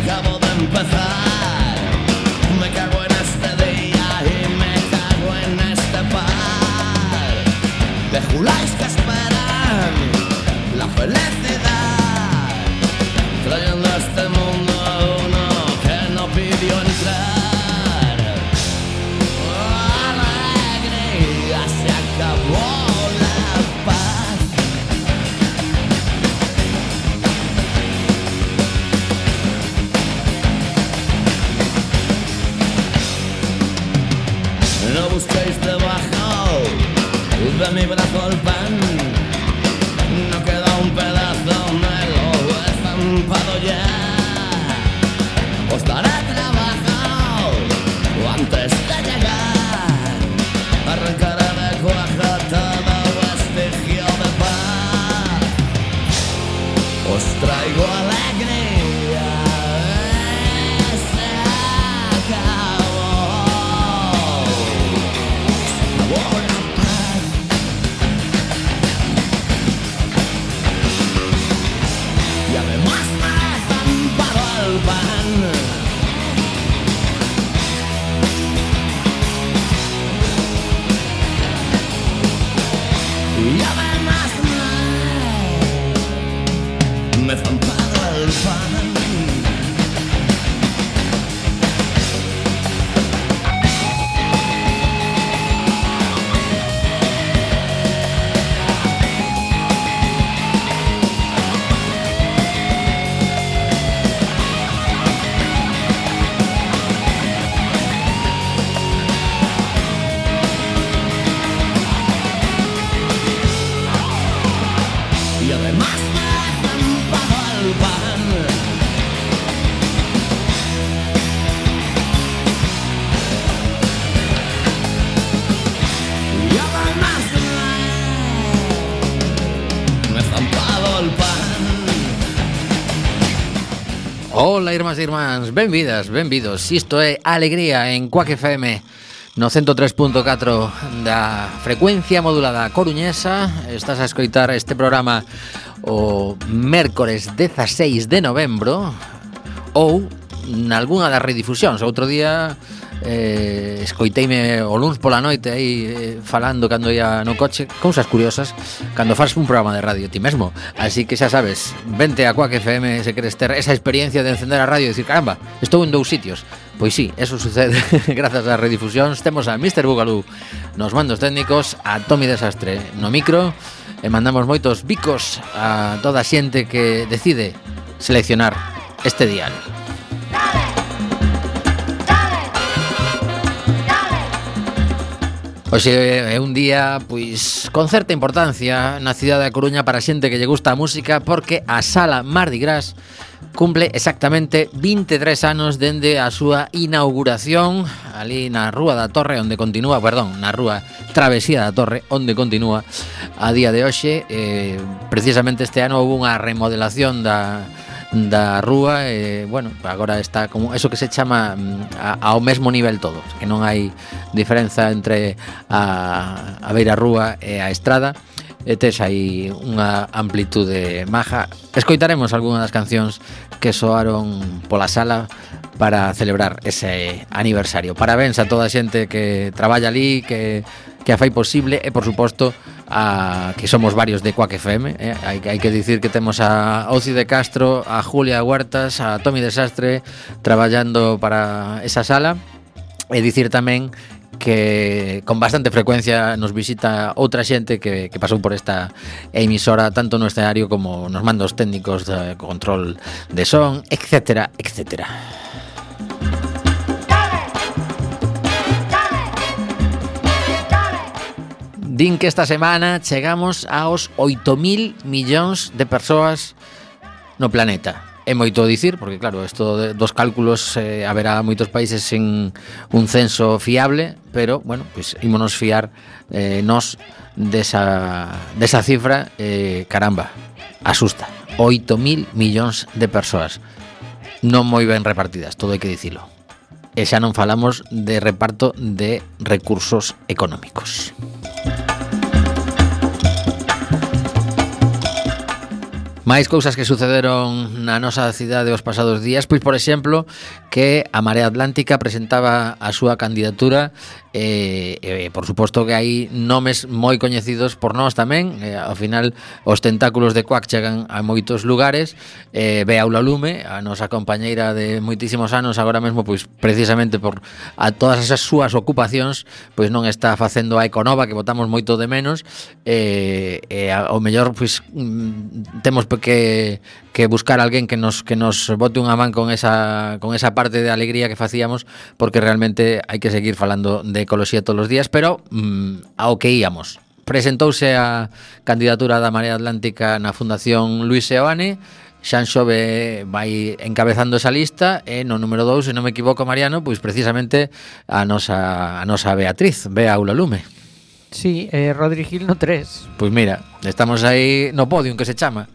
acabo de empezar. Me cago en este día y me cago en este par de juláis que esperan la felicidad, trayendo a este mundo a uno que no pidió entrar. Alegría, se acabó la paz. No busquéis debajo de mi brazo el pan, no queda un pedazo, me lo he estampado ya. Os daré trabajo antes de llegar, arrancaré de cuaja todo vestigio de paz. Os traigo alegría, se acabó la paz. Y además me he estampado el pan. Y además me he estampado el pan. Y además me he estampado el pan. Y además me he estampado el pan. Ola, irmás e irmáns, benvidas, benvidos. Isto é Alegría en Quack FM no 103.4 da frecuencia modulada coruñesa. Estás a escoitar este programa o mércores 16 de novembro ou nalgúna das redifusións. Outro día escoiteime o luns pola noite aí falando cando ia no coche, cousas curiosas cando faz un programa de radio ti mesmo. Así que xa sabes, vente a Quack FM se queres ter esa experiencia de encender a radio e dicir, caramba, estou en 2 sitios. Pois sí, eso sucede grazas ás redifusións. Temos a Mr. Bugalú nos mandos técnicos, a Tommy Desastre no micro, e mandamos moitos bicos a toda a xente que decide seleccionar este dial. Hoxe é un día pois con certa importancia na cidade da Coruña para a xente que lle gusta a música, porque a Sala Mardi Gras cumple exactamente 23 anos dende a súa inauguración ali na Rúa da Torre, onde continúa, na Rúa Travesía da Torre, onde continúa a día de hoxe. Precisamente este ano houve unha remodelación da rúa, bueno, agora está como eso que se chama ao mesmo nivel todo, que non hai diferenza entre a beira rúa e a estrada, e tes aí unha amplitude maja. Escoitaremos algunha das cancións que soaron pola sala para celebrar ese aniversario. Parabéns a toda a xente que traballa ali, que a fai posible, e por suposto que somos varios de Quack FM, hai que dicir que temos a Oci de Castro, a Julia Huertas, a Tommy Desastre traballando para esa sala, e dicir tamén que con bastante frecuencia nos visita outra xente que pasou por esta emisora, tanto no escenario como nos mandos técnicos de control de son, etcétera, etcétera. Din que esta semana chegamos aos 8.000 millóns de persoas no planeta. É moito dicir, porque claro, isto dos cálculos haberá moitos países sen un censo fiable, pero, bueno, pues ímonos fiar nos desa cifra, caramba, asusta. 8.000 millóns de persoas, non moi ben repartidas, todo hai que dicilo. E xa non falamos de reparto de recursos económicos. Máis cousas que sucederon na nosa cidade os pasados días, pois por exemplo, que a Marea Atlántica presentaba a súa candidatura por suposto que hai nomes moi coñecidos por nós tamén, ao final os tentáculos de Quack chegan a moitos lugares. Bea Aulalume, a nosa compañeira de moitísimos anos, agora mesmo pois precisamente por a todas esas súas ocupacións, pois non está facendo a Econova, que votamos moito de menos, ao mellor pois temos que buscar alguén que nos bote unha man con esa parte de alegría que facíamos, porque realmente hai que seguir falando de ecoloxía todos os días. Pero ao que íamos, presentouse a candidatura da Marea Atlántica na Fundación Luis Seoane. Xanxove vai encabezando esa lista, e no número 2, se non me equivoco, Mariano, pois precisamente a nosa Beatriz, Bea Aulalume. Sí, Rodri Gil no 3. Pois mira, estamos aí no podium, que se chama.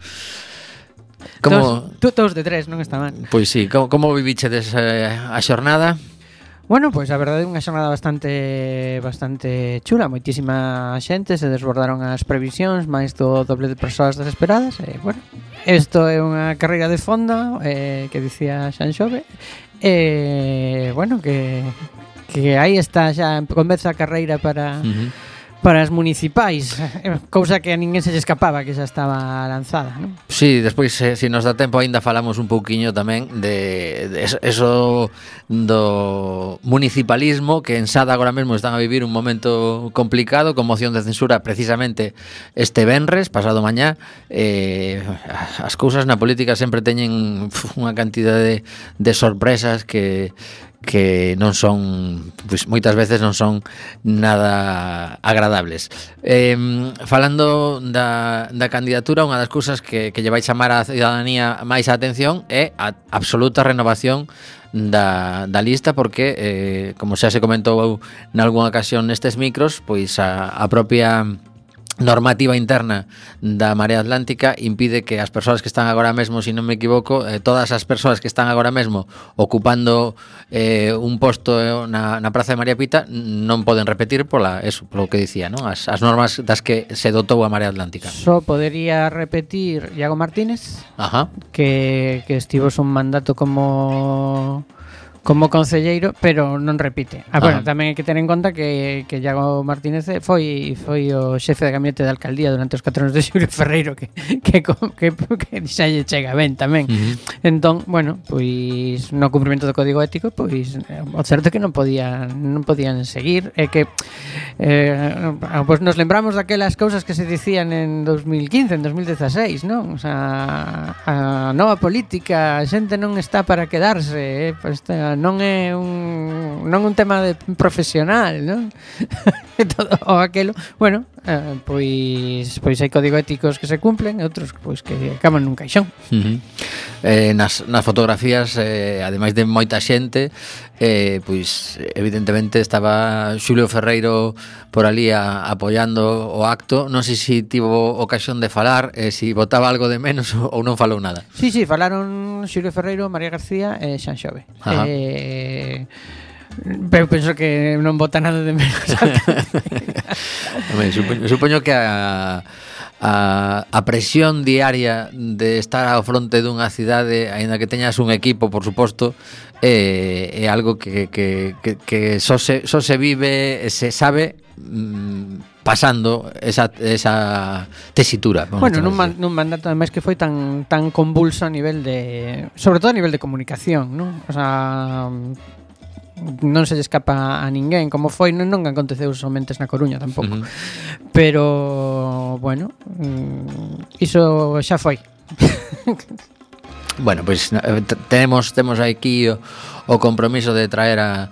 Como todos de 3, non está mal. Pois sí, como vivichedes a xornada? Bueno, pois a verdade é unha xornada bastante chula. Moitísima xente, se desbordaron as previsións, máis do doble de persoas desesperadas. Bueno, isto é unha carreira de fondo, que dicía Xanxove. Bueno, que aí está, xa comeza a carreira para as municipais, cousa que a ninguén se lle escapaba, que xa estaba lanzada, non? Sí, despois, se nos dá tempo, aínda falamos un pouquiño tamén de eso do municipalismo, que en Sada agora mesmo están a vivir un momento complicado, con moción de censura precisamente este venres, pasado mañá. As cousas na política sempre teñen unha cantidade de sorpresas que non son, pois moitas veces non son nada agradables. Falando da candidatura, unha das cousas que lle vai chamar a cidadanía máis a atención é a absoluta renovación da lista, porque como xa se comentou nalgúna ocasión nestes micros, pois a propia normativa interna da Marea Atlántica impide que as persoas que están agora mesmo, se non me equivoco, todas as persoas que están agora mesmo ocupando un posto na Praza de María Pita non poden repetir polo que dicía, non? As normas das que se dotou a Marea Atlántica. Só podería repetir Iago Martínez, que estivo un mandato como concelleiro, pero non repite. Bueno, tamén hai que ter en conta que Iago Martínez foi o xefe de gabinete da alcaldía durante os 4 anos de Xulio Ferreiro, que xa lle chega ben tamén. Entón, bueno, pois no cumprimento do código ético, pois o certo é que non podían seguir, e que pois nos lembramos daquelas cousas que se dicían en 2015, en 2016, non? O sea, a nova política, a xente non está para quedarse, pois non é un tema de profesional, non? Todo o aquelo, bueno, pois hai código éticos que se cumplen, e outros pois que acaban nun caixón. Nas fotografías, ademais de moita xente, pois evidentemente estaba Xulio Ferreiro por ali apoiando o acto. Non sei se tivo ocasión de falar, se votaba algo de menos ou non falou nada. Sí, falaron Xulio Ferreiro, María García e Xanxove. Pero penso que non vota nada de menos. Supoño que a presión diaria de estar ao fronte dunha cidade, aínda que teñas un equipo, por suposto, é algo que só se vive, se sabe pasando esa tesitura. Bueno, nun mandato ademais que foi tan convulso a nivel de, sobre todo a nivel de comunicación, non? O sea, non se lle escapa a ninguén como foi, non aconteceu somente na Coruña tampouco. Pero bueno, iso xa foi. Bueno, pois temos aquí o compromiso de traer a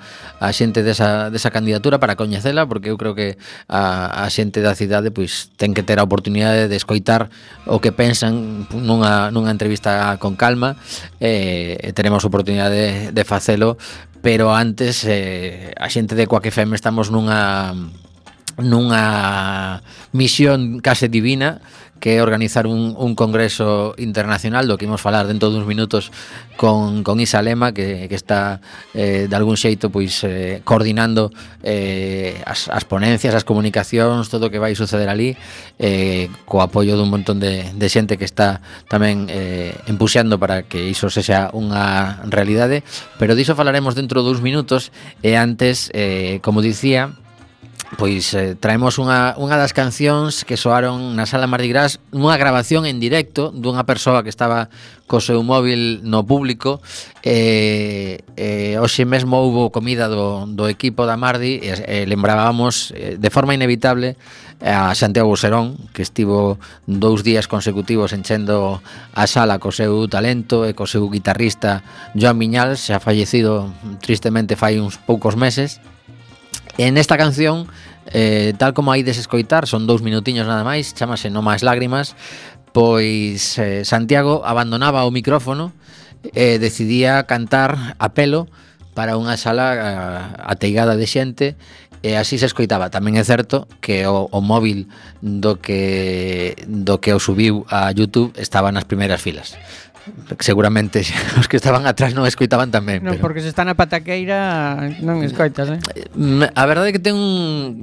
xente desa candidatura para coñecela, porque eu creo que a xente da cidade pois ten que ter a oportunidade de escoitar o que pensan nunha entrevista con calma, e teremos oportunidade de facelo. Pero antes, a xente de Quack FM estamos nunha misión case divina, que é organizar un congreso internacional do que imos falar dentro duns minutos con Isa Lema, que está de algún xeito pois coordinando as ponencias, as comunicacións, todo o que vai suceder ali, co apoio dun montón de xente que está tamén empuxando para que iso sexa unha realidade, pero diso falaremos dentro duns minutos. E antes, como dicía, pois traemos unha das cancións que soaron na Sala Mardi Gras, nunha grabación en directo dunha persoa que estaba co seu móvil no público. Hoxe mesmo houbo comida do equipo da Mardi e lembrábamos de forma inevitable a Santiago Serón, que estivo 2 días consecutivos enchendo a sala co seu talento e co seu guitarrista Joan Viñals, xa fallecido tristemente fai uns poucos meses. En esta canción, tal como hai de escoitar, son 2 minutiños nada máis, chamase No Máis Lágrimas, pois Santiago abandonaba o micrófono e decidía cantar a pelo para unha sala ateigada de xente, e así se escoitaba. Tamén é certo que o móvil do que o subiu a YouTube estaba nas primeiras filas. Seguramente os que estaban atrás non escoitaban tamén, non, pero... porque se está na pataqueira non escoitas, A verdade é que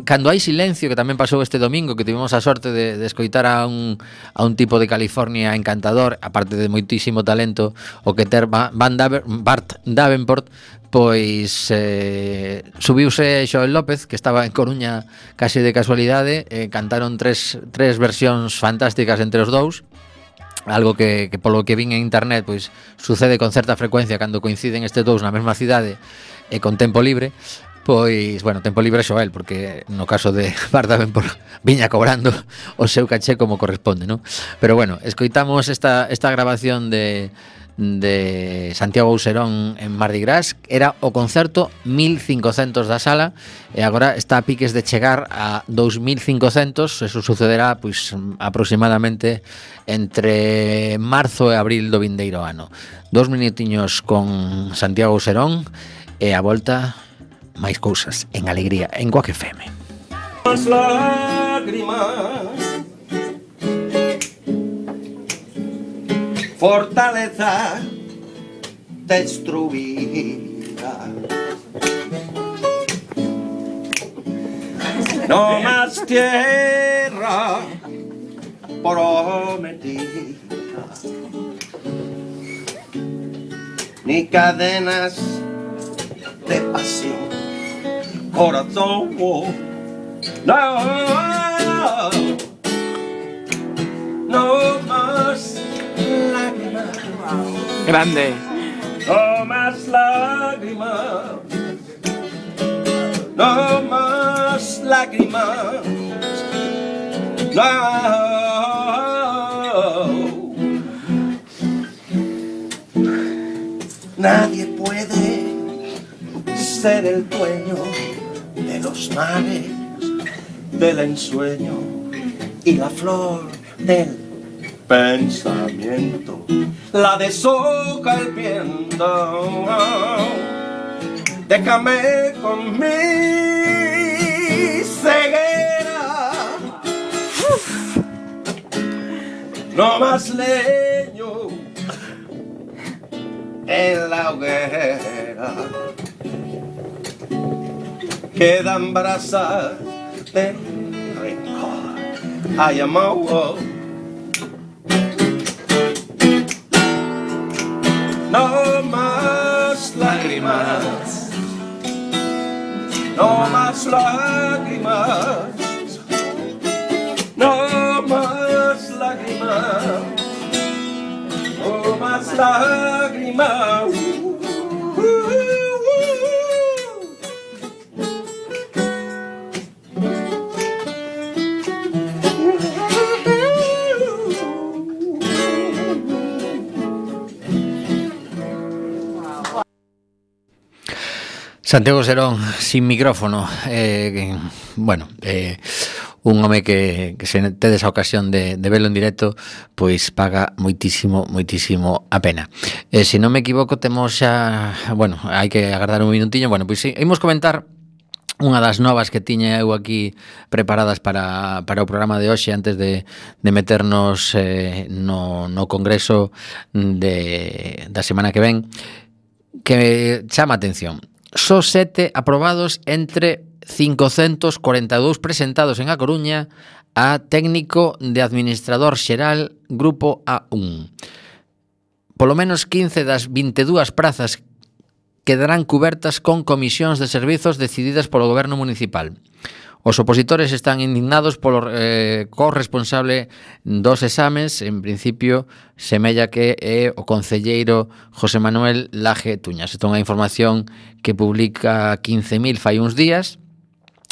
cando hai silencio, que tamén pasou este domingo, que tivemos a sorte de escoitar a un tipo de California encantador, aparte de moitísimo talento, o que ter Bart Davenport, pois subiuse Xoel López, que estaba en Coruña case de casualidade, cantaron tres versións fantásticas entre os dous, algo que polo que vin en internet pois sucede con certa frecuencia cando coinciden estes dous na mesma cidade e con tempo libre. Pois, bueno, tempo libre Xoel, porque no caso de Bart Davenport viña cobrando o seu caché como corresponde, non? Pero bueno, escoitamos esta grabación de Santiago Serón en Mardi Gras. Era o concerto 1500 da sala e agora está a piques de chegar a 2500. Eso sucederá pois aproximadamente entre marzo e abril do vindeiro ano. 2 minutiños con Santiago Serón e a volta máis cousas en Alegría en Quack FM. As lágrimas, fortaleza destruida. No más tierra prometida, ni cadenas de pasión, corazón. No, no más lágrimas. Grande. No más lágrimas. No más lágrimas. No. Nadie puede ser el dueño de los mares, del ensueño y la flor del pensamiento, la deshoja el viento. Déjame con mi ceguera, no más leño en la hoguera. Quedan brasas de rencor. I am out. No más lágrimas, no más lágrimas, no más lágrimas, no más lágrimas. Santiago Serón sin micrófono, bueno, un home que se tedes a ocasión de velo en directo, pois paga moitísimo a pena. Se non me equivoco, temos xa, bueno, hai que agardar un minutiño. Bueno, pois imos comentar unha das novas que tiña eu aquí preparadas para o programa de hoxe antes de meternos no congreso da semana que ven, que chama atención. Só 7 aprobados entre 542 presentados en A Coruña a técnico de administrador xeral Grupo A1. Polo menos 15 das 22 prazas quedarán cubertas con comisións de servizos decididas polo goberno municipal. Os opositores están indignados polo corresponsable dos exames, en principio semella que é o concelleiro José Manuel Laje Tuñas. Esta é unha información que publica 15.000 fai uns días.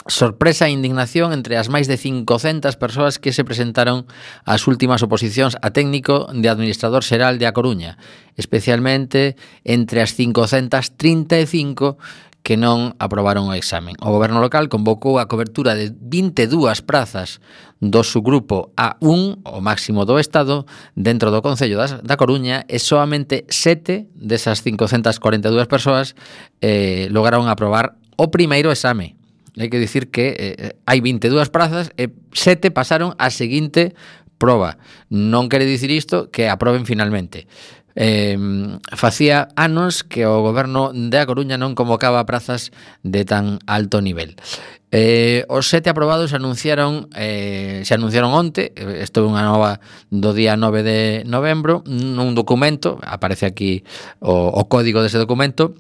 Sorpresa e indignación entre as máis de 500 persoas que se presentaron ás últimas oposicións a técnico de administrador xeral de A Coruña, especialmente entre as 535 que non aprobaron o examen. O goberno local convocou a cobertura de 22 prazas do subgrupo A1, o máximo do Estado, dentro do Concello da Coruña, e soamente 7 desas 542 persoas lograron aprobar o primeiro exame. Hai que dicir que hai 22 prazas e 7 pasaron a seguinte proba. Non quere dicir isto que aproben finalmente. Facía anos que o goberno de A Coruña non convocaba prazas de tan alto nivel. Os 7 aprobados se anunciaron onte. Isto é unha nova do día 9 de novembro, nun documento, aparece aquí o código dese documento.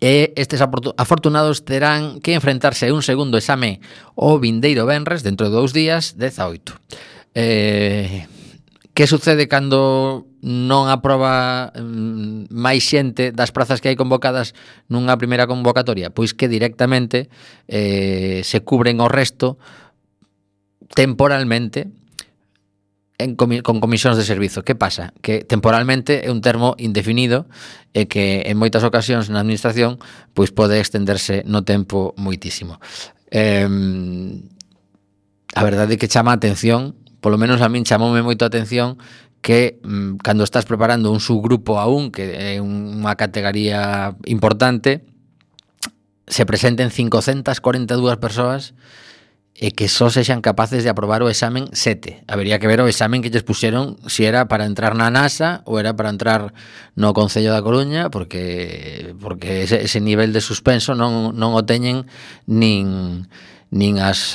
E estes afortunados terán que enfrentarse a un segundo exame o vindeiro venres, dentro de 2 días, 18. Que sucede cando non aproba máis xente das prazas que hai convocadas nunha primeira convocatoria? Pois que directamente se cubren o resto temporalmente con comisións de servizo. Que pasa? Que temporalmente é un termo indefinido e que en moitas ocasións na administración pois pode extenderse no tempo moitísimo. A verdade é que chama a atención, polo menos a min chamoume moito a atención, que cando estás preparando un subgrupo A1, que é unha categoría importante, se presenten 542 persoas e que só sexan capaces de aprobar o examen 7. Habería que ver o examen que lles puxeron, se era para entrar na NASA ou era para entrar no Concello da Coruña, porque ese nivel de suspenso non o teñen nin as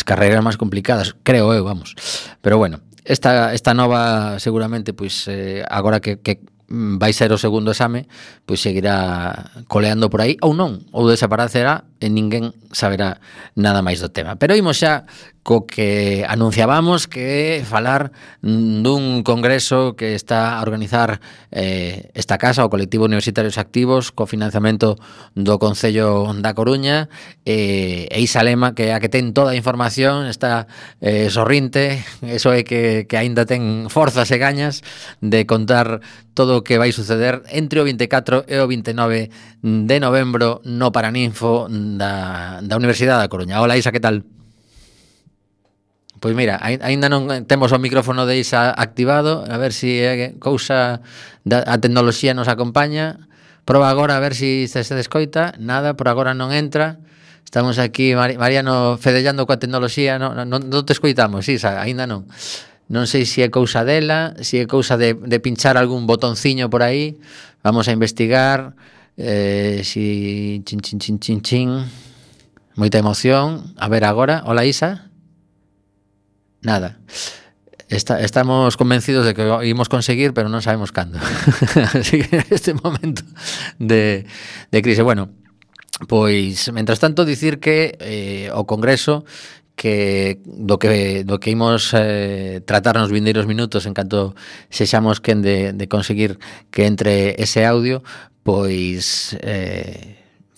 carreiras máis complicadas, creo eu, vamos. Pero bueno, esta nova seguramente pois agora que vai ser o segundo exame, pois seguirá coleando por aí ou non, ou desaparecerá e ninguén saberá nada máis do tema. Pero imos xa co que anunciábamos, que falar dun congreso que está a organizar esta casa, o Colectivo Universitarios Activos, co financiamento do Concello da Coruña, e Isa Lema, que é a que ten toda a información, está sorrinte, eso é que aínda ten forzas e gañas de contar todo o que vai suceder entre o 24 e o 29 de novembro no Paraninfo da Universidade da Coruña. Hola Isa, que tal? Pois mira, aínda non temos o micrófono de Isa activado, a ver se cousa a tecnoloxía nos acompaña. Proba agora a ver se se descoita. Nada, por agora non entra. Estamos aquí, Mariano, fedellando coa tecnoloxía. Non te escoitamos, Isa, aínda non. Non sei se é cousa dela, se é cousa de pinchar algún botonciño por aí. Vamos a investigar. Si chin. Moita emoción. A ver agora. Hola, Isa. Nada. Estamos convencidos de que o ímos conseguir, pero non sabemos cando. Así que este momento de crise. Bueno, pois, mentras tanto, dicir que o Congreso do que imos tratar nos vindeiros minutos en canto sexamos quen de conseguir que entre ese audio, pois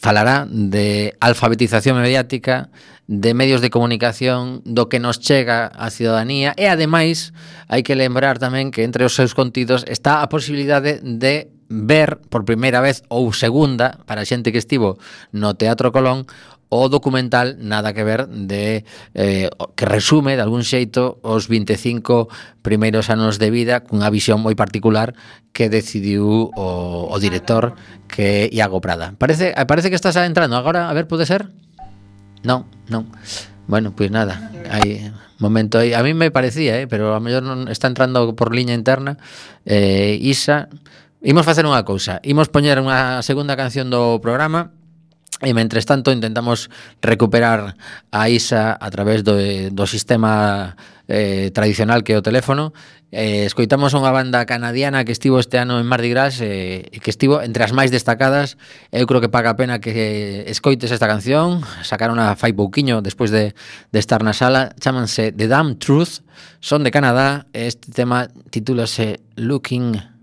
falará de alfabetización mediática, de medios de comunicación, do que nos chega á ciudadanía, e ademais hai que lembrar tamén que entre os seus contidos está a posibilidade de ver por primeira vez ou segunda, para a xente que estivo no Teatro Colón, o documental Nada que ver, que resume de algún xeito os 25 primeiros anos de vida cunha visión moi particular que decidiu o director, que é Iago Prada. Parece que estás entrando agora, a ver, pode ser? Non. Bueno, pois nada, hai momento aí. A mí me parecía, pero a mellor non está entrando por liña interna. Isa, imos facer unha cousa. Imos poñer unha segunda canción do programa. E mentres tanto intentamos recuperar a Isa a través do sistema tradicional que é o teléfono. Escoitamos unha banda canadiana que estivo este ano en Mardi Gras e que estivo entre as máis destacadas. Eu creo que paga a pena que escoites esta canción. Sacaron a fai pouquiño despois de estar na sala. Chámanse The Damn Truth, son de Canadá. Este tema titúlase Looking...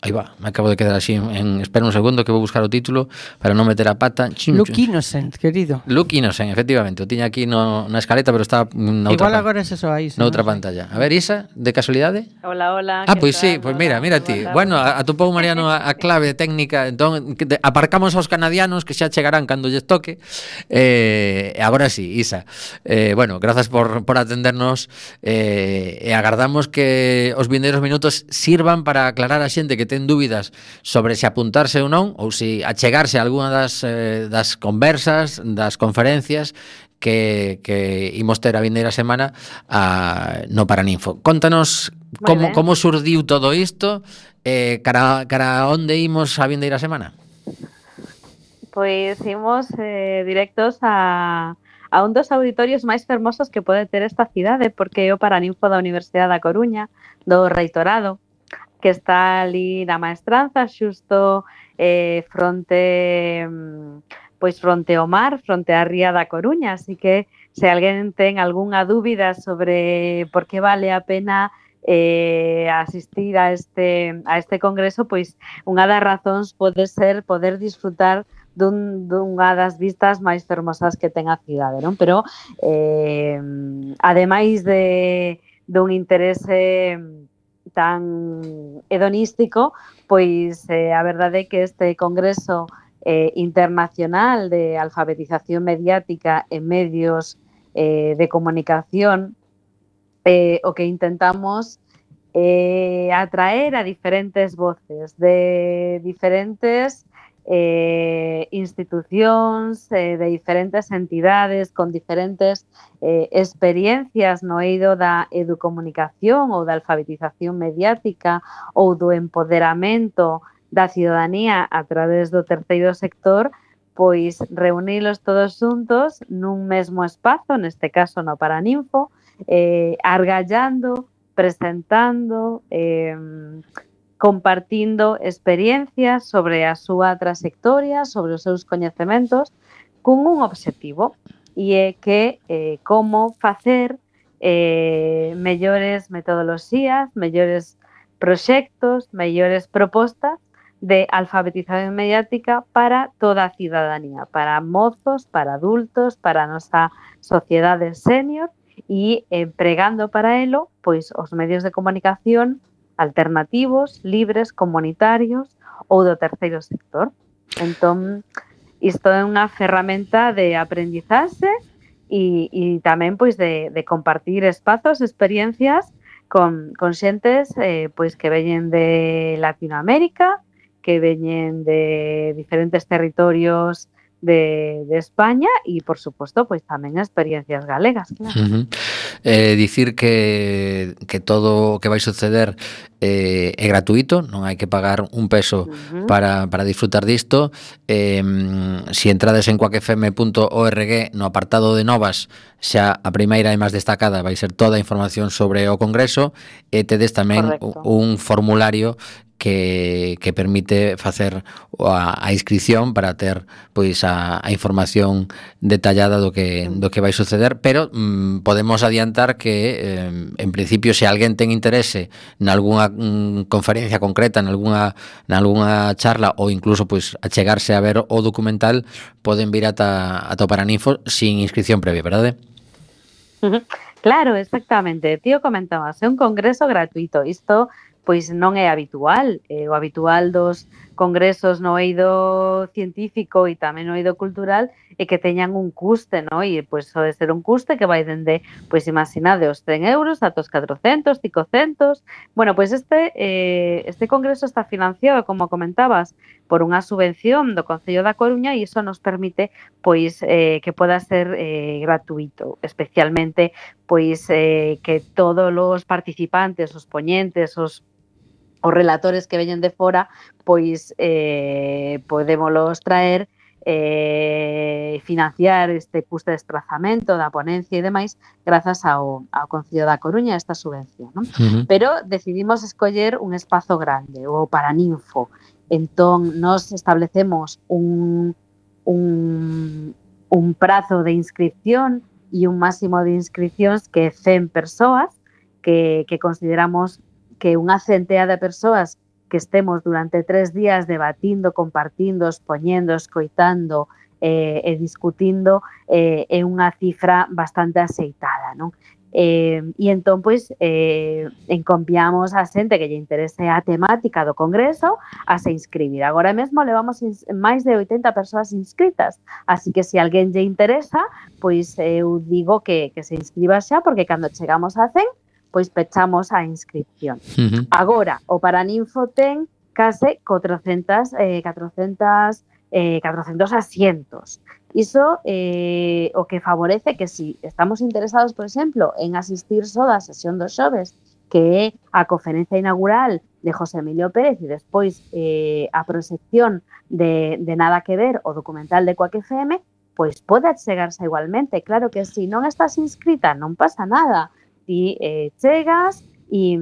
Aí va, me acabo de quedar así espera un segundo que vou buscar o título para non meter a pata. Look Innocent, querido. Look Innocent, efectivamente. O tiña aquí na escaleta, pero está na outra. Igual agora é eso aí. Na outra pantalla. A ver, Isa, de casualidade? Hola. Pois sí, pois mira ti. Bueno, atopou Mariano a clave técnica, entón aparcamos aos canadianos que xa chegarán cando lles toque. Agora sí, Isa. Bueno, grazas por atendernos e agardamos que os vindeiros minutos sirvan para aclarar a xente que ten dúbidas sobre se apuntarse ou non, ou se achegarse a algunha das conversas, das conferencias que imos ter a vindeira semana no Paraninfo. Contanos como surdiu todo isto, cara onde imos a vindeira semana? Pois imos directos a un dos auditorios máis fermosos que pode ter esta cidade, porque é o Paraninfo da Universidade da Coruña, do Reitorado, que está ali na Maestranza, xusto fronte ao mar, fronte á ría da Coruña, así que se alguén ten algunha dúbida sobre por que vale a pena asistir a este congreso, pois unha das razóns pode ser poder disfrutar dunha das vistas máis fermosas que ten a cidade, non? Pero ademais dun interese tan hedonístico, pois a verdade é que este congreso internacional de alfabetización mediática en medios de comunicación, o que intentamos atraer a diferentes voces de diferentes institucións, de diferentes entidades con diferentes experiencias no eido da educomunicación ou da alfabetización mediática ou do empoderamento da ciudadanía a través do terceiro sector, pois reunilos todos xuntos nun mesmo espazo, neste caso no Paraninfo, argallando, presentando, compartindo experiencias sobre a súa trayectoria, sobre os seus coñecementos, cun un obxectivo, e é que como facer mellores metodoloxías, mellores proxectos, mellores propostas de alfabetización mediática para toda a ciudadanía, para mozos, para adultos, para a nosa sociedade senior, e empregando para elo pois os medios de comunicación alternativos, libres, comunitarios ou do terceiro sector. Entón, isto é unha ferramenta de aprendizaxe e tamén pois de compartir espazos, experiencias con xentes pois que veñen de Latinoamérica, que veñen de diferentes territorios de España e, por suposto, pois tamén experiencias galegas, claro. Dicir que todo o que vai suceder é gratuito, non hai que pagar un peso para disfrutar disto. Se entrades en cuacfm.org no apartado de novas, xa a primeira e máis destacada vai ser toda a información sobre o congreso, e tedes tamén un formulario que permite facer a inscripción para ter pois a información detallada do que vai suceder, pero podemos adiantar que en principio se alguén ten interese nalgúnha conferencia concreta, nalgúnha charla ou incluso pois achegarse a ver o documental, poden vir ata o Paraninfo sin inscripción previa, verdade? Claro, exactamente. Tío comentabas, é un congreso gratuito. Isto pois non é habitual. O habitual dos congresos no eido científico e tamén no eido cultural e que teñan un custe, no? E pois pode ser un custe que vai dende, pois imaginade, os 100 euros ata os 400, 500. Bueno, pois este congreso está financiado, como comentabas, por unha subvención do Concello da Coruña e iso nos permite pois que poda ser gratuito, especialmente pois que todos os participantes, os poñentes, os relatores que veñen de fora, pois podémolos traer financiar este custo de desplazamento da ponencia e demais grazas ao Concello da Coruña esta subvención, non? Pero decidimos escoller un espazo grande, o Paraninfo. Entón, nos establecemos un prazo de inscripción e un máximo de inscripcións que 100 persoas, que consideramos que unha centea de persoas que estemos durante 3 días debatindo, compartindo, expoñendo, escoitando e discutindo é unha cifra bastante aceitada, non? E entón, pois, enconviamos a xente que lle interese a temática do congreso a se inscribir. Agora mesmo levamos máis de 80 persoas inscritas, así que se alguén lle interesa, pois eu digo que se inscriba xa, porque cando chegamos a 100, pois pechamos a inscripción. Agora, o Paraninfo ten case 400 asientos. Iso o que favorece que si estamos interesados, por exemplo, en asistir só da sesión dos xoves, que é a conferencia inaugural de José Emilio Pérez e despois a proxección de Nada que Ver, o documental de Coac FM, pois pode chegarse igualmente. Claro que se non estás inscrita non pasa nada. Ti chegas e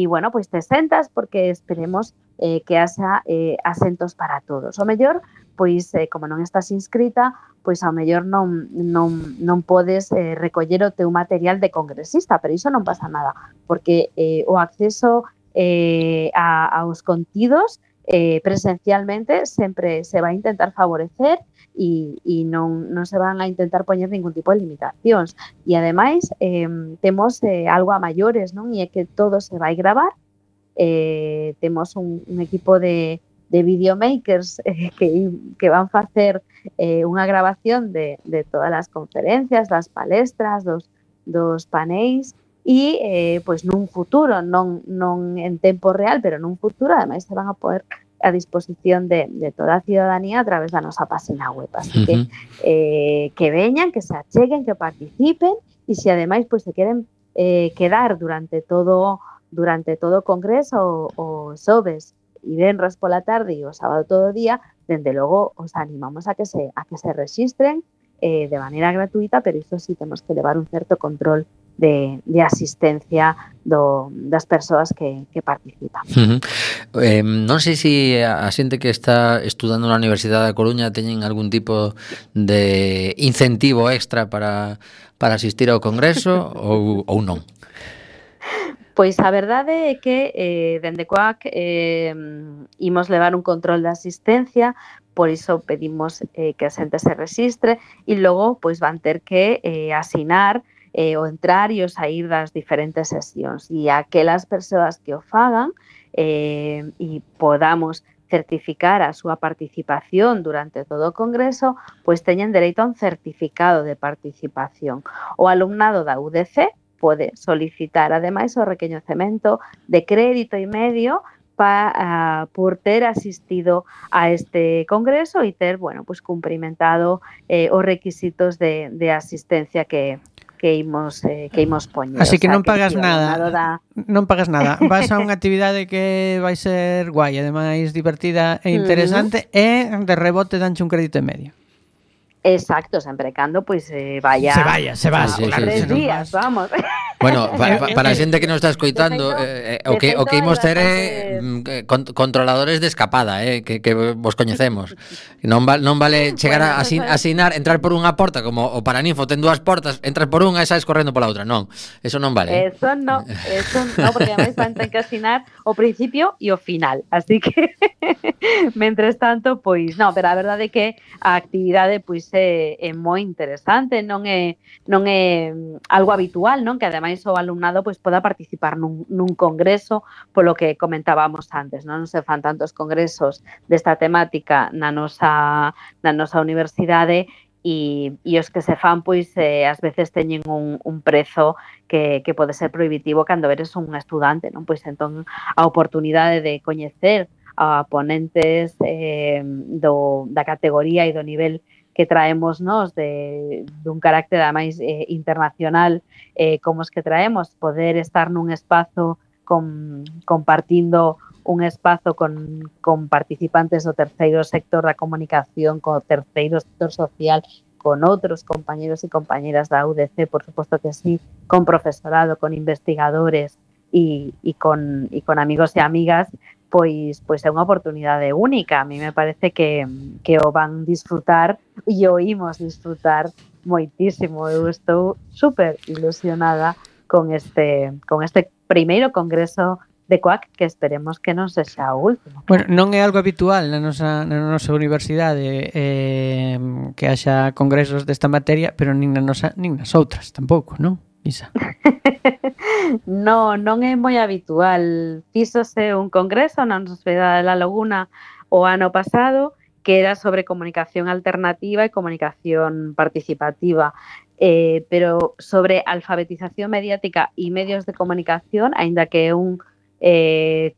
bueno, pois te sentas porque esperemos que haxa asentos para todos. O mellor, pois como non estás inscrita, pois ao mellor non podes recoller o teu material de congresista, pero iso non pasa nada, porque o acceso aos contidos presencialmente sempre se vai intentar favorecer e non se van a intentar poñer ningún tipo de limitacións. E ademais temos algo a maiores, non? E é que todo se vai gravar. Temos un equipo de videomakers que van facer unha grabación de todas as conferencias, das palestras, dos paneis e pois nun futuro, non en tempo real, pero nun futuro, ademais se van a poder a disposición de toda a ciudadanía a través da nosa página web. Así que veñan, que se acheguen, que participen e se ademais pois se queren quedar durante todo o congreso o xoves e venres pola tarde e o sábado todo o día, dende logo os animamos a que se rexistren de maneira gratuita, pero iso sí temos que levar un certo control de asistencia das persoas que participan. Non sei se a xente que está estudando na Universidade da Coruña teñen algún tipo de incentivo extra para asistir ao congreso ou non. Pois a verdade é que dende Coac imos levar un control de asistencia, por iso pedimos que a xente se rexistre e logo pois van ter que asinar o entrar e o sair das diferentes sesións. E aquelas persoas que o fagan e podamos certificar a súa participación durante todo o congreso, pois teñen dereito a un certificado de participación. O alumnado da UDC pode solicitar, ademais, o recoñecemento de crédito e medio por ter asistido a este congreso e ter, bueno, pues cumprimentado os requisitos de asistencia que imos poñer. Así que non pagas nada. Non pagas nada. Vas a unha actividade que vai ser guai, ademais divertida e interesante, e de rebote danche un crédito e medio. Exacto, sempre cando pois vaya. Se va. Sí, 3 días, vamos. Bueno, para a xente que nos está escoitando, o que imos ter é controladores de escapada, que vos coñecemos. Non vale chegar a asinar, entrar por unha porta, como o Paraninfo ten 2 portas, entras por unha e saes correndo pola outra. Non, eso non vale. Eso non, porque ademais van ter que asinar o principio e o final. Así que, mentres tanto, pois, non, pero a verdade é que a actividade pois é moi interesante, non é algo habitual, non? Que ademais ademais o alumnado pois poda participar nun congreso, polo que comentábamos antes, non se fan tantos congresos desta temática na nosa universidade e os que se fan pois ás veces teñen un prezo que pode ser prohibitivo cando eres un estudante, non? Pois entón a oportunidade de coñecer a ponentes da categoría e do nivel que traemos nós dun carácter ademais internacional como os que traemos, poder estar nun espazo compartindo un espazo con participantes do terceiro sector da comunicación, co terceiro sector social, con outros compañeros e compañeras da UDC, por suposto que sí, con profesorado, con investigadores e con amigos e amigas, pois é unha oportunidade única. A mí me parece que o van disfrutar e o imos disfrutar moitísimo. Eu estou super ilusionada con este primeiro congreso de COAC, que esperemos que non sexa o último. Bueno, non é algo habitual na nosa universidade que haxa congresos desta materia, pero nin nas outras tampouco, non? Isa. Non é moi habitual. Fíxose un congreso na Universidade da Laguna o ano pasado que era sobre comunicación alternativa e comunicación participativa, pero sobre alfabetización mediática e medios de comunicación, aínda que é un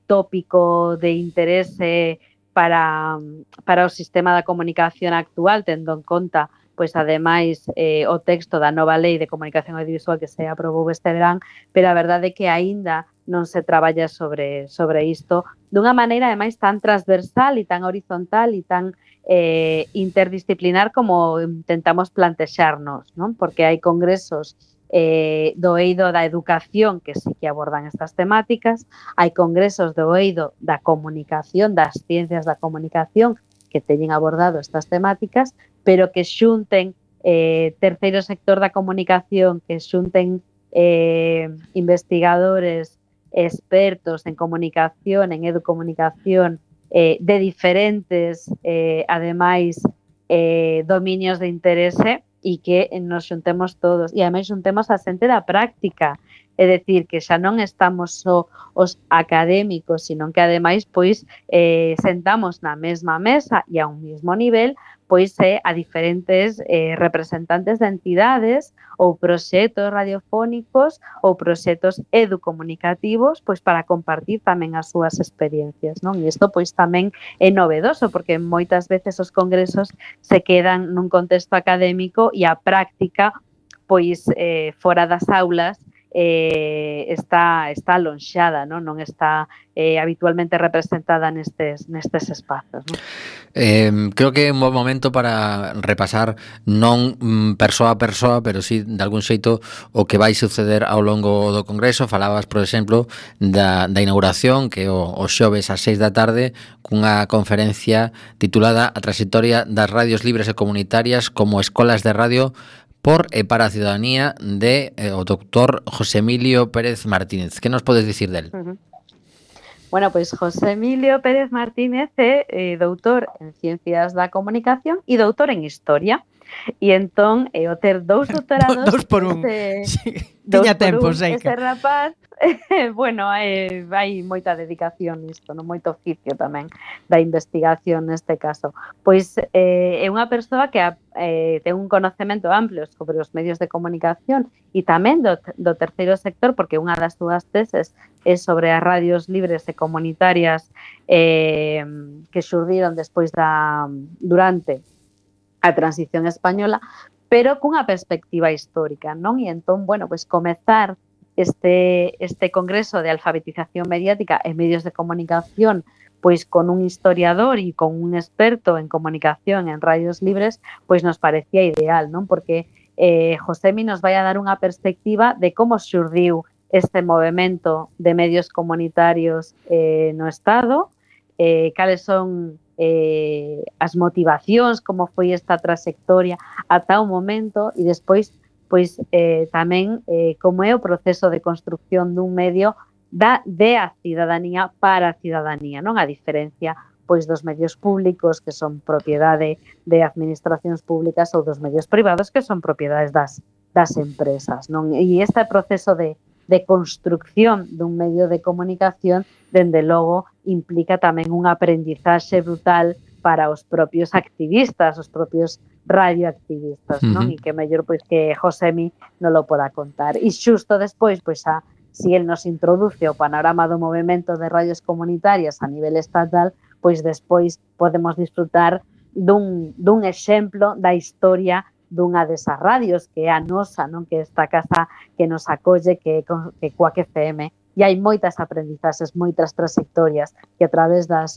tópico de interese para o sistema da comunicación actual, tendo en conta pois ademais o texto da nova lei de comunicación audiovisual que se aprobou este verán, pero a verdade é que aínda non se traballa sobre isto dunha maneira ademais tan transversal e tan horizontal e tan interdisciplinar como intentamos plantexarnos, non? Porque hai congresos do eido da educación que sí que abordan estas temáticas, hai congresos do eido da comunicación, das ciencias da comunicación que teñen abordado estas temáticas, pero que xunten terceiro sector da comunicación, que xunten investigadores expertos en comunicación, en educomunicación, de diferentes, ademais, dominios de interese, e que nos xuntemos todos. E ademais xuntemos a xente da práctica, é dicir, que xa non estamos só os académicos, sino que ademais pois sentamos na mesma mesa e a un mesmo nivel pois a diferentes representantes de entidades ou proxectos radiofónicos ou proxectos educomunicativos pois para compartir tamén as súas experiencias, non? E isto pois tamén é novedoso porque moitas veces os congresos se quedan nun contexto académico e a práctica pois fora das aulas está alonxada, non está habitualmente representada nestes espazos, non? Creo que é un bo momento para repasar non persoa a persoa, pero sí de algún xeito o que vai suceder ao longo do congreso. Falabas, por exemplo, da inauguración que o xoves ás 6 da tarde cunha conferencia titulada A trayectoria das radios libres e comunitarias como escolas de radio por e para a ciudadanía de o doctor José Emilio Pérez Martínez. Que nos podes dicir del? Bueno, pois José Emilio Pérez Martínez é doutor en Ciencias da Comunicación e doutor en Historia. E entón, o ter dous doutorados... Dos por un. Tiña tempo, sei que... Ese rapaz, bueno, hai moita dedicación nisto, non? Moito oficio tamén da investigación neste caso. Pois é unha persoa que ten un conocemento amplio sobre os medios de comunicación e tamén do terceiro sector, porque unha das súas teses é sobre as radios libres e comunitarias que xurdiron despois durante a transición española, pero cunha perspectiva histórica, non? E entón, bueno, pois comezar este congreso de alfabetización mediática e medios de comunicación pois con un historiador e con un experto en comunicación en radios libres, pois nos parecía ideal, non? Porque Josemi nos vai a dar unha perspectiva de como xurdiu este movemento de medios comunitarios no Estado, cales son as motivacións, como foi esta trayectoria ata o momento e despois pois tamén como é o proceso de construcción dun medio de a cidadanía para a cidadanía, non? A diferencia pois dos medios públicos que son propiedade de administracións públicas ou dos medios privados que son propiedades das das empresas, non? E este proceso de construcción dun medio de comunicación, dende logo, implica tamén unha aprendizaxe brutal para os propios activistas, os propios radioactivistas, non? E que mellor pois que Josemi non lo poda contar. E xusto despois, pois si el nos introduce o panorama do movemento de radios comunitarias a nivel estatal, pois despois podemos disfrutar dun exemplo da historia dunha desas radios, que é a nosa, non? Que é esta casa que nos acolle, que é Cuac FM, e hai moitas aprendizaxes, moitas trayectorias que a través das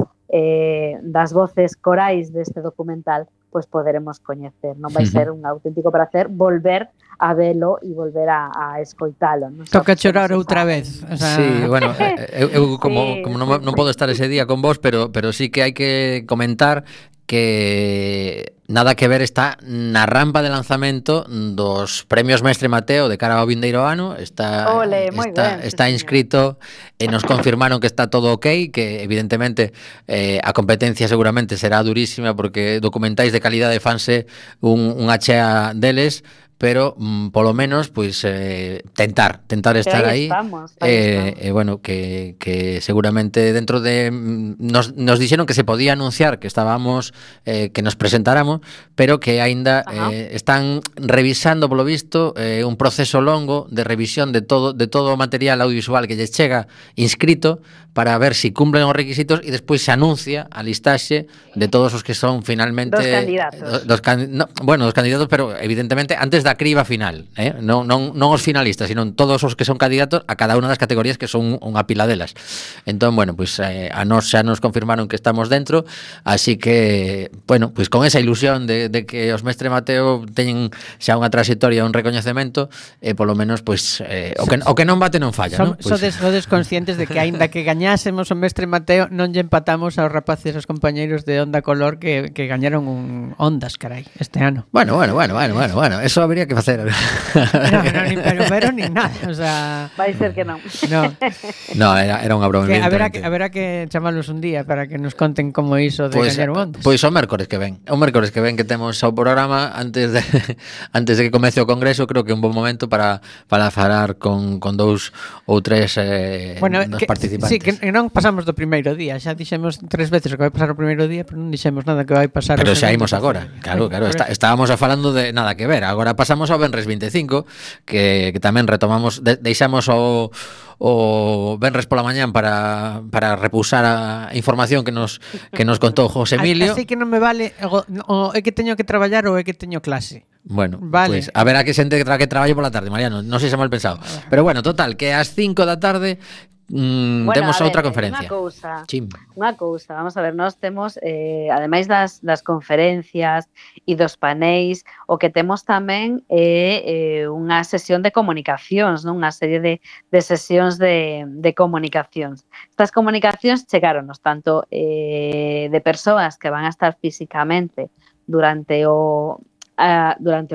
voces corais deste documental pois poderemos coñecer. Non vai ser un auténtico placer volver a velo e volver a escoitalo. Toca chorar outra vez. O sea... Sí, bueno, eu como non podo estar ese día con vos, pero sí que hai que comentar que nada que ver está na rampa de lanzamento dos premios Mestre Mateo de cara ao vindeiro ano. Está inscrito e nos confirmaron que está todo ok, que evidentemente a competencia seguramente será durísima porque documentais de calidade fanse unha chea deles, pero polo menos pois tentar estar aí bueno, que seguramente dentro de nos dixeron que se podía anunciar que estábamos que nos presentáramos, pero que aínda están revisando polo visto un proceso longo de revisión de todo o material audiovisual que lles chega inscrito para ver si cumplen os requisitos e despois se anuncia a listaxe de todos os que son finalmente dos candidatos, pero evidentemente antes da criba final, non os finalistas, sino todos os que son candidatos a cada unha das categorías, que son unha pila delas. Entón, bueno, pues a nós xa nos confirmaron que estamos dentro, así que, bueno, pues con esa ilusión de que os Mestre Mateo teñen xa unha trayectoria, un recoñecemento, polo menos, pues o que non bate non falla, non? Sodes conscientes de que aínda que gañásemos o Mestre Mateo, non lle empatamos aos rapaces, aos compañeiros de Onda Color que gañaron ondas, carai, este ano. Bueno, eso habría que facer. Ni pero ni nada, o sea, vai ser que non. No, era unha broma. Haberá que chamalos un día para que nos conten como iso de gañar ondas. Pois o mércores que ven que temos o programa antes de que comece o congreso, creo que é un bon momento para falar con dous ou tres dos participantes. Sí, que non pasamos do primeiro día, xa dixemos 3 veces o que vai pasar o primeiro día, pero non dixemos nada que vai pasar. Pero xa imos agora. Claro, estábamos falando de nada que ver. Agora pasamos ao Venres 25, que tamén retomamos, deixamos o venres pola mañán para repousar a información que nos contou José Emilio. Así que non me vale é que teño que traballar ou é que teño clase. Bueno, vale. Pues a ver a que xente que traballe pola tarde, Mariano, non sei se mal pensado. Pero bueno, total, que ás 5 da tarde temos outra conferencia. Unha cousa, vamos a ver, nós temos ademais das conferencias e dos paneis, o que temos tamén é unha sesión de comunicacións, non? Unha serie de sesións de comunicacións. Estas comunicacións chegáronos tanto de persoas que van a estar físicamente durante o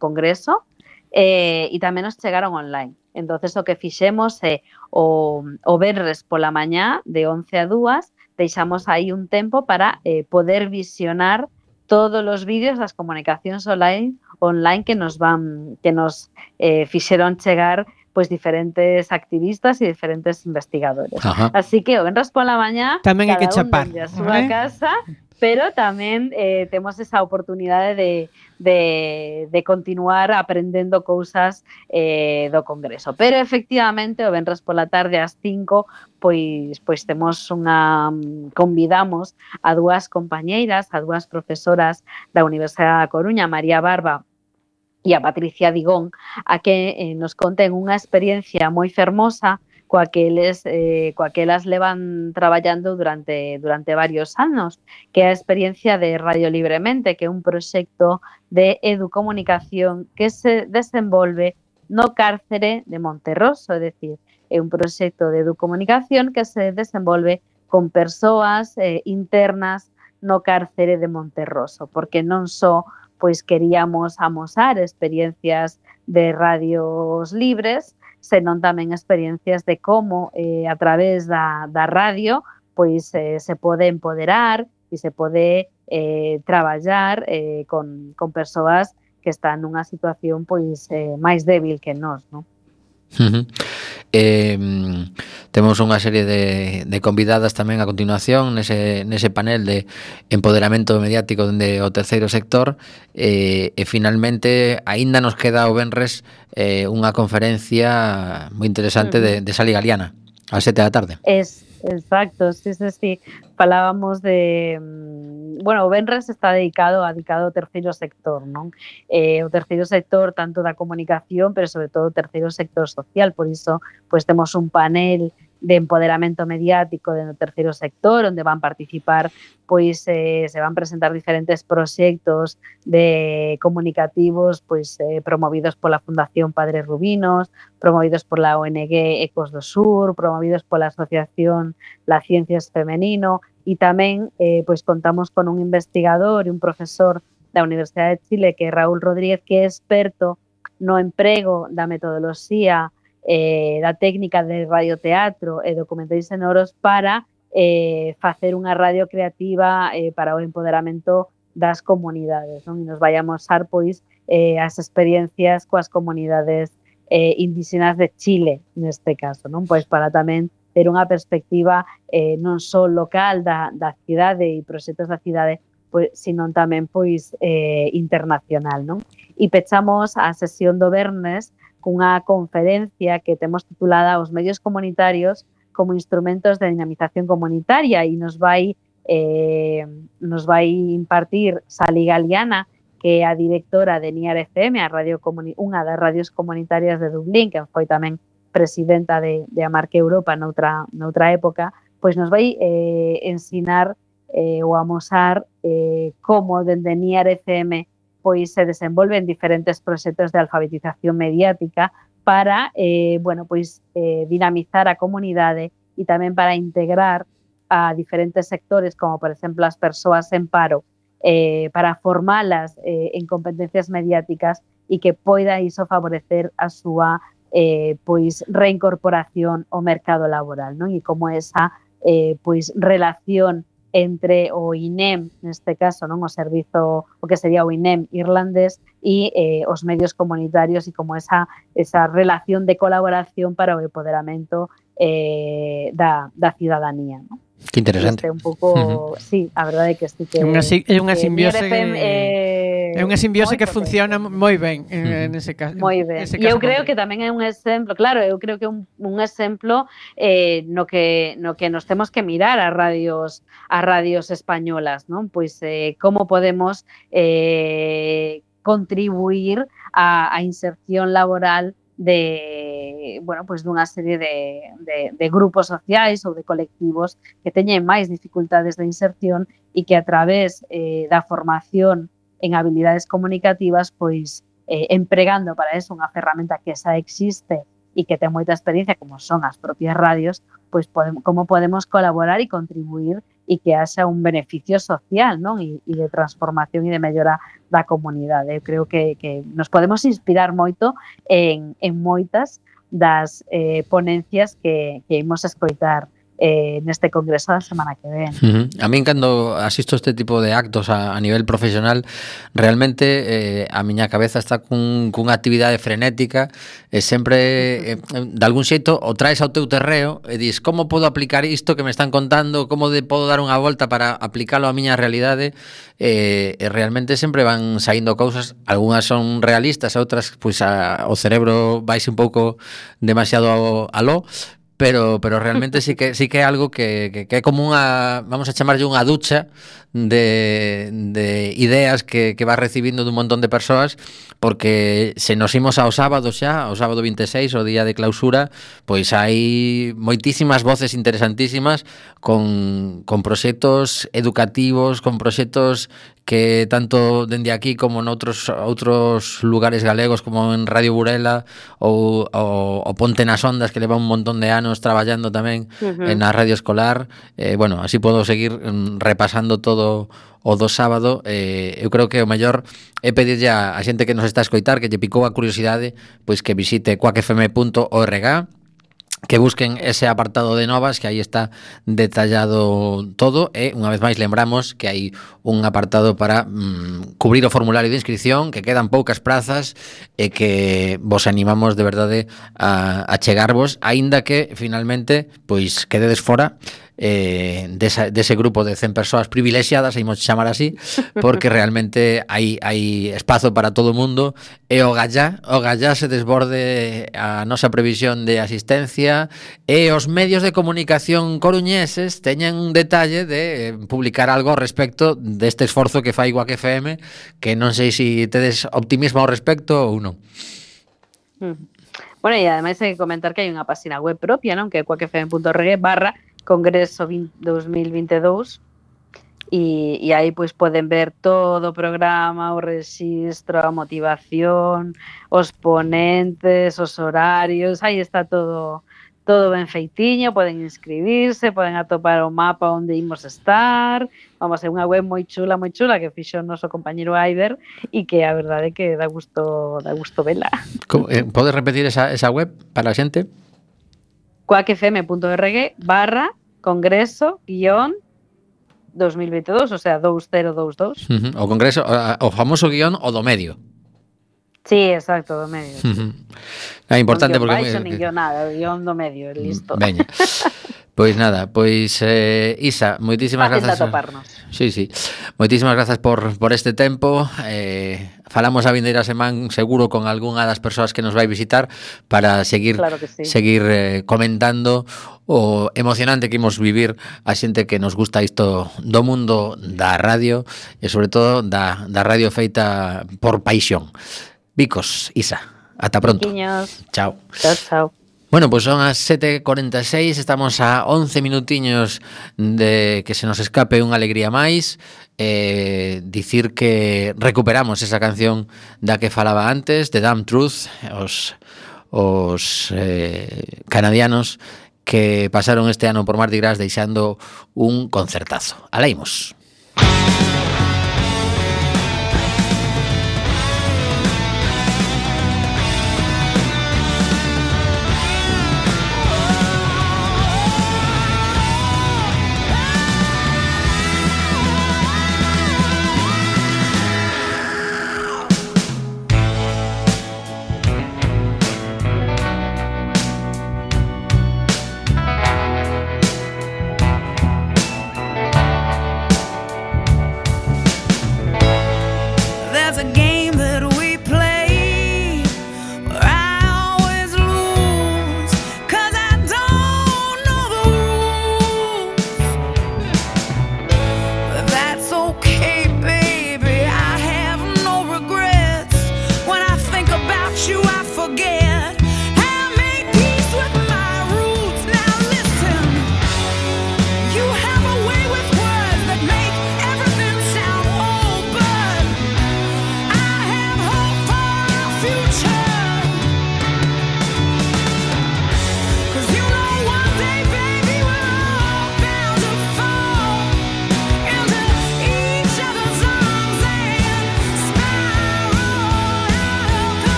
congreso e tamén nos chegaron online. Entonces o que fixemos é o venres pola mañá de 11 a 2 deixamos aí un tempo para poder visionar todos os vídeos das comunicacións online que nos fixeron chegar pois diferentes activistas e diferentes investigadores. Ajá. Así que o venres pola mañá tamén hai que chapar a súa casa, pero tamén temos esa oportunidade de continuar aprendendo cousas do Congreso. Pero efectivamente o venres pola tarde ás 5 pois temos convidamos a dúas compañeiras, a dúas profesoras da Universidade da Coruña, María Barba e a Patricia Digón, a que nos conten unha experiencia moi fermosa coa que elas levan traballando durante varios anos, que é a experiencia de Radio Libremente, que é un proxecto de educomunicación que se desenvolve no cárcere de Monterroso, é dicir, é un proxecto de educomunicación que se desenvolve con persoas internas no cárcere de Monterroso, porque non só pois queríamos amosar experiencias de radios libres, senón tamén experiencias de como a través da radio pois se pode empoderar e se pode traballar con persoas que está nunha situación pois máis débil que nós, non? Temos unha serie de convidadas tamén a continuación nese panel de empoderamento mediático dende o terceiro sector, e finalmente aínda nos queda o venres unha conferencia moi interesante de Sally Galiana ás 7 da tarde. Exacto, sí. Falábamos de... Bueno, o venres está dedicado ao terceiro sector, non? O terceiro sector tanto da comunicación, pero sobre todo o terceiro sector social, por iso pois temos un panel de empoderamento mediático do terceiro sector, onde van participar, pois se van presentar diferentes proxectos de comunicativos, pois promovidos pola Fundación Padre Rubinos, promovidos pola ONG Ecos do Sur, promovidos pola Asociación La Ciencia es Femenino, e tamén pois contamos con un investigador e un profesor da Universidade de Chile, que é Raúl Rodríguez, que é experto no emprego da metodoloxía da técnica de radioteatro e documentais sonoros para facer unha radio creativa para o empoderamento das comunidades, non? E nos vai a mostrar pois as experiencias coas comunidades indígenas de Chile, neste caso, non? Pois para tamén ter unha perspectiva non só local da cidade e proxectos da cidade, pois, sino tamén pois internacional, non? E pechamos a sesión do venres cunha conferencia que temos titulada Os medios comunitarios como instrumentos de dinamización comunitaria, e nos vai impartir Sally Galiana, que é a directora de NIAR FM, unha das radios comunitarias de Dublín, que foi tamén presidenta de Amarque Europa noutra época, pois nos vai ensinar ou amosar como dende NIAR FM pois se desenvolven diferentes proxectos de alfabetización mediática para dinamizar a comunidade e tamén para integrar a diferentes sectores, como por exemplo as persoas en paro, para formalas en competencias mediáticas e que poida iso favorecer a súa reincorporación ao mercado laboral, non? E como esa relación entre o INEM, neste caso, non, o servizo, o que sería o INEM irlandés, e os medios comunitarios, e como esa relación de colaboración para o empoderamento da cidadanía, non? Que interesante. Un pouco, sí, a verdade é que sí que é unha simbiose é unha simbiose que funciona moi ben nese caso. Moi ben. E eu creo que tamén é un exemplo, claro, eu creo que un exemplo no que nos temos que mirar as radios españolas, non? Pois como podemos contribuir á inserción laboral dunha serie de grupos sociais ou de colectivos que teñen máis dificultades de inserción e que a través da formación en habilidades comunicativas, pois empregando para eso unha ferramenta que xa existe e que ten moita experiencia, como son as propias radios, pois como podemos colaborar e contribuir e que haxa un beneficio social, non? E de transformación e de mellora da comunidade. Eu creo que nos podemos inspirar moito en moitas das ponencias que imos escoitar neste congreso da semana que ven. A min, cando asisto a este tipo de actos a nivel profesional, realmente a miña cabeza está cunha actividade frenética e sempre, de algún xeito, o traes ao teu terreo e dis, como podo aplicar isto que me están contando, como podo dar unha volta para aplicalo á miña realidade, e realmente sempre van saindo cousas, algunhas son realistas, outras, pois o cerebro vaise un pouco demasiado aló, pero realmente sí que é algo que é como unha, vamos a chamarlle unha ducha de ideas que vas recibindo dun montón de persoas, porque se nos imos ao sábado xa, ao sábado 26, o día de clausura, pois hai moitísimas voces interesantísimas con proxectos educativos, con proxectos que tanto dende aquí como noutros outros lugares galegos, como en Radio Burela ou o Ponte nas Ondas, que leva un montón de anos traballando tamén na radio escolar. Bueno, así podo seguir repasando todo o do sábado. Eu creo que o mellor é pedirlle a xente que nos está a escoitar, que lle picou a curiosidade, pois que visite quackfm.org que busquen ese apartado de novas, que aí está detallado todo, e unha vez máis lembramos que hai un apartado para cubrir o formulario de inscripción, que quedan poucas prazas e que vos animamos de verdade a chegarvos, aínda que finalmente pois quededes fora dese grupo de 100 persoas privilexiadas, imos chamar así, porque realmente hai espazo para todo o mundo e o gallá se desborde a nosa previsión de asistencia, e os medios de comunicación coruñeses teñen un detalle de publicar algo ao respecto deste esforzo que fai Quack FM, que non sei se tedes optimismo ao respecto ou non. Bueno, e ademais hai que comentar que hai unha página web propia, non? Que é quackfm.org/Congreso 2022, e aí pois poden ver todo o programa, o rexistro, a motivación, os ponentes, os horarios, aí está todo ben feitiño, poden inscribirse, poden atopar o mapa onde imos estar. Vamos, é unha web moi chula que fixo o noso compañeiro Aider, e que a verdade é que dá gusto vela. Podes repetir esa web para a xente? quackfm.org/Congreso-2022, o sea, 2022. O Congreso, o famoso guión o do medio. Sí, exacto, do medio. É importante non porque... baixo, nin guión nada, o guión do medio, listo. Veña. Pois nada, Isa, moitísimas grazas. Sí. Moitísimas grazas por este tempo. Falamos a vindeira semana seguro con algunha das persoas que nos vai visitar para seguir comentando o emocionante que imos vivir a xente que nos gusta isto do mundo da radio e sobre todo da radio feita por paixón. Bicos, Isa, ata pronto. Chiquiños. Chao. Chao. Bueno, pues son as 7:46, estamos a 11 minutiños de que se nos escape unha alegría máis. Dicir que recuperamos esa canción da que falaba antes, de Damn Truth, os canadianos que pasaron este ano por Mardi Gras deixando un concertazo. Alaimos.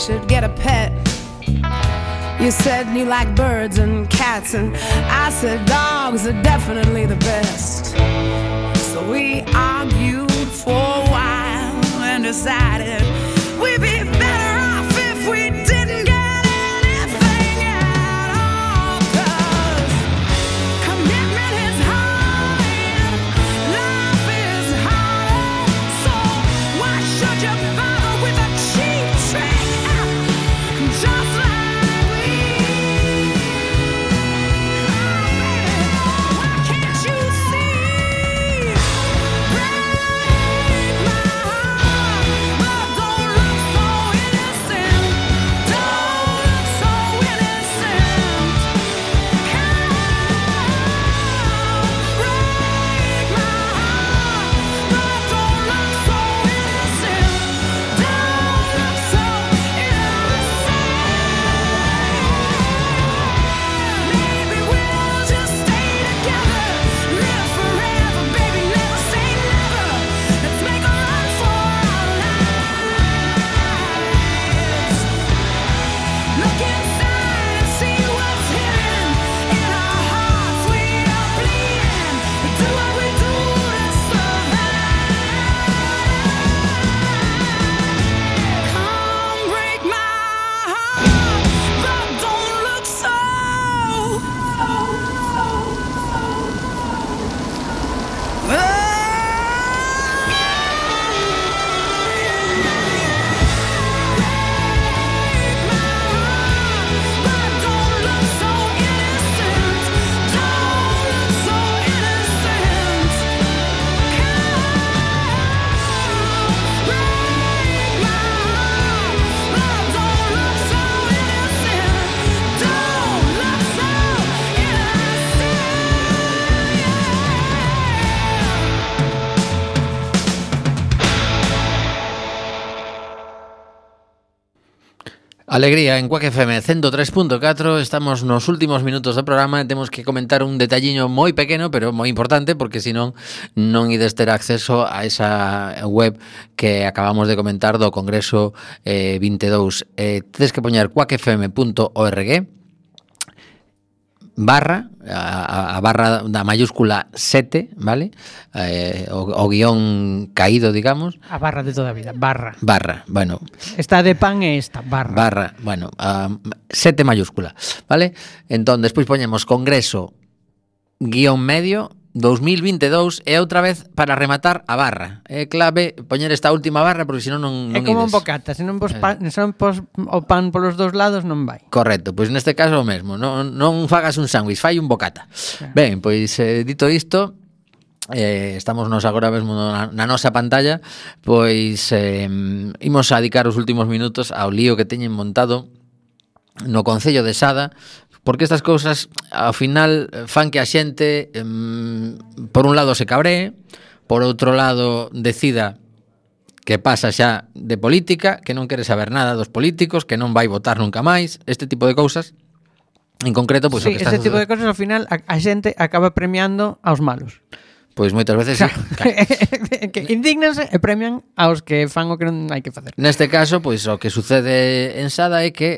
should get a pet. You said you like birds and cats, and I said dogs are definitely the best. So we argued for a while and decided we'd be better off if we didn't get anything at all. 'Cause commitment is hard, life is hard, so why should you bother with a cheap trick? Just like we, why can't you see? Break my heart. Alegría en Quack FM 103.4. Estamos nos últimos minutos do programa e temos que comentar un detalliño moi pequeno, pero moi importante, porque senón non ides ter acceso a esa web que acabamos de comentar do Congreso 22. Tedes que poñer quackfm.org barra a barra da mayúscula 7, vale? O guión caído, digamos. A barra de toda a vida, barra. Barra, bueno. Esta de pan é esta, barra. Barra, bueno, 7 mayúscula, vale? Entón, despois poñemos Congreso guión medio 2022 e outra vez para rematar a barra. É clave poñer esta última barra porque senón non é como ides. un bocata, se non pos o pan polos dous lados non vai. Correcto, pois neste caso o mesmo, non fagas un sándwich, fai un bocata. Ben, pois dito isto, estamos nos agora mesmo na nosa pantalla, pois imos a dedicar os últimos minutos ao lío que teñen montado no Concello de Sada, porque estas cousas ao final fan que a xente por un lado se cabree, por outro lado decida que pasa xa de política, que non quere saber nada dos políticos, que non vai votar nunca máis, este tipo de cousas. En concreto, pois, sí, o que está ese tipo de cousas ao final a xente acaba premiando aos malos. Pois moitas veces claro. Sí. Que indignanse e premian aos que fan o que non hai que facer. Neste caso, pois o que sucede en Sada é que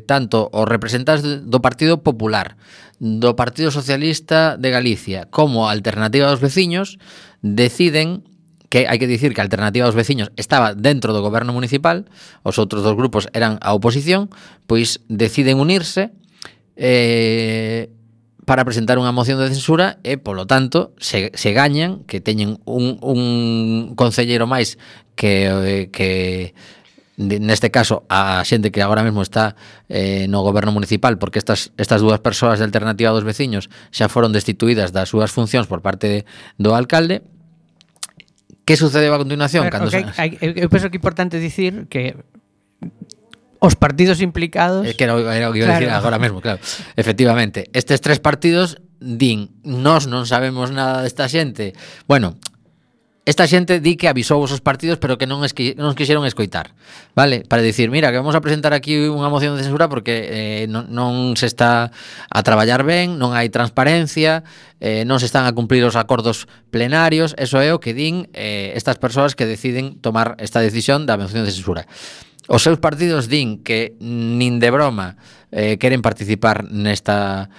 tanto os representantes do Partido Popular, do Partido Socialista de Galicia, como a Alternativa dos Veciños deciden que hai que dicir que a Alternativa dos Veciños estaba dentro do goberno municipal, os outros dos grupos eran a oposición, pois deciden unirse para presentar unha moción de censura e, polo tanto, se gañan, que teñen un concelleiro máis que neste caso a xente que agora mesmo está no goberno municipal, porque estas dúas persoas de Alternativa dos Veciños xa foron destituídas das súas funcións por parte do alcalde. Que sucedeu a continuación? Eu penso que é importante dicir que os partidos implicados... Que era o que iba a decir agora mesmo, claro. Efectivamente, estes tres partidos din, nós non sabemos nada desta xente. Bueno, esta xente di que avisou os partidos, pero que non quixeron escoitar, vale? Para dicir, mira, que vamos a presentar aquí unha moción de censura porque non se está a traballar ben, non hai transparencia, non se están a cumplir os acordos plenarios. Eso é o que din estas persoas que deciden tomar esta decisión da moción de censura. Os seus partidos din que nin de broma queren participar nesta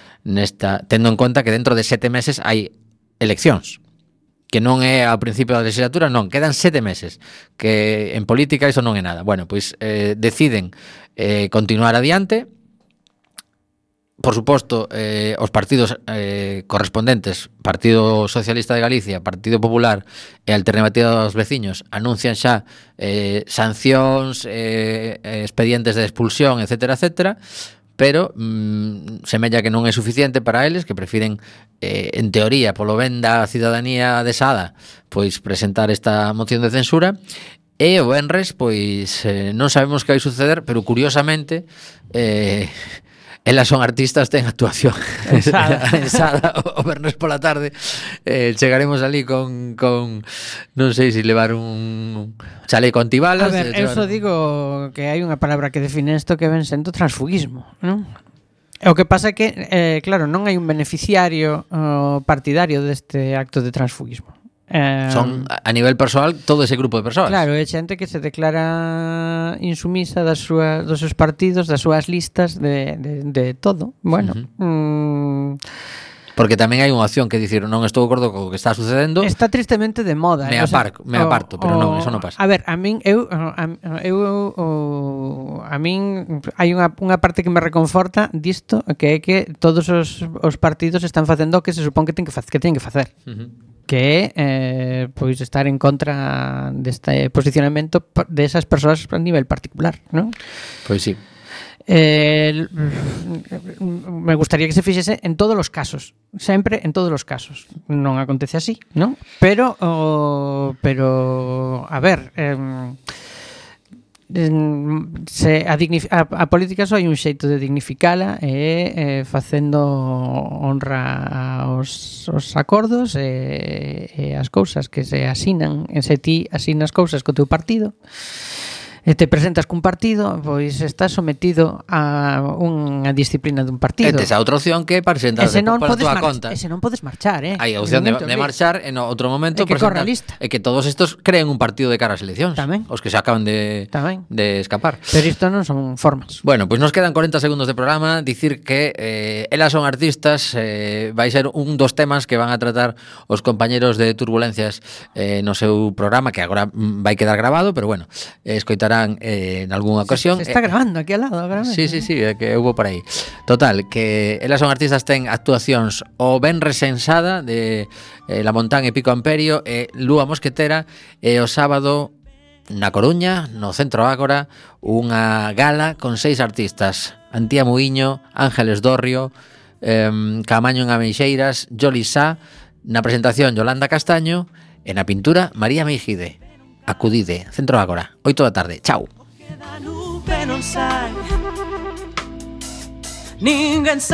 tendo en conta que dentro de 7 meses hai eleccións, que non é ao principio da legislatura, non, quedan 7 meses, que en política iso non é nada. Bueno, pois deciden continuar adiante. Por suposto, os partidos correspondentes, Partido Socialista de Galicia, Partido Popular e Alternativa dos Veciños, anuncian xa sancións, expedientes de expulsión, etcétera, etcétera, pero semella que non é suficiente para eles, que prefiren, en teoría, polo ben da cidadanía de Sada, pois presentar esta moción de censura. E o venres, pois non sabemos que vai suceder, pero curiosamente elas son artistas, ten actuación en Sada o vernos pola tarde. Chegaremos ali con non sei se levar un chaleco antibalas. A ver, eu só digo que hai unha palabra que define isto que ven sendo transfugismo, non? O que pasa é que, claro, non hai un beneficiario partidario deste acto de transfugismo. Son a nivel persoal todo ese grupo de persoas. Claro, é xente que se declara insumisa dos seus partidos, das súas listas, de todo. Bueno, porque tamén hai unha opción que dicir non estou de acordo co que está sucedendo. Está tristemente de moda. Me aparto, pero non, eso non pasa. A ver, a min hai unha parte que me reconforta disto, que é que todos os partidos están facendo o que se supón que teñen que facer. Que é pois estar en contra deste posicionamento desas persoas a nivel particular, non? Pois sí. Me gustaría que se fixese en todos os casos, sempre en todos os casos. Non acontece así, non? Pero a ver, a política só hai un xeito de dignificala e facendo honra aos acordos e as cousas que se asinan, e se ti asinas cousas co teu partido e te presentas cun partido, pois estás sometido a unha disciplina dun partido. E tes a outra opción que presentarse pola túa conta. E se non podes marchar, Hai a opción de marchar en outro momento que corra a lista. E que todos estos creen un partido de cara ás eleccións. Tamén. Os que se acaban de escapar. Pero isto non son formas. Bueno, pois nos quedan 40 segundos de programa. Dicir que elas son artistas, vai ser un dos temas que van a tratar os compañeros de Turbulencias no seu programa, que agora vai quedar grabado, pero bueno, escoitarán en algunha ocasión. Se está grabando aquí al lado, gravando. Sí, que hubo por aí. Total, que elas son artistas, ten actuacións o Venres Sensada de La Montán e Pico Amperio e Lúa Mosquetera, e o sábado na Coruña, no Centro Ágora, unha gala con 6 artistas: Antía Muiño, Ángeles Dorrio, Camaño en Ameixeiras, Joli Sá, na presentación Yolanda Castaño e na pintura María Meijide. Acudide, Centro Ágora, 8 da tarde. Chao. Ninguén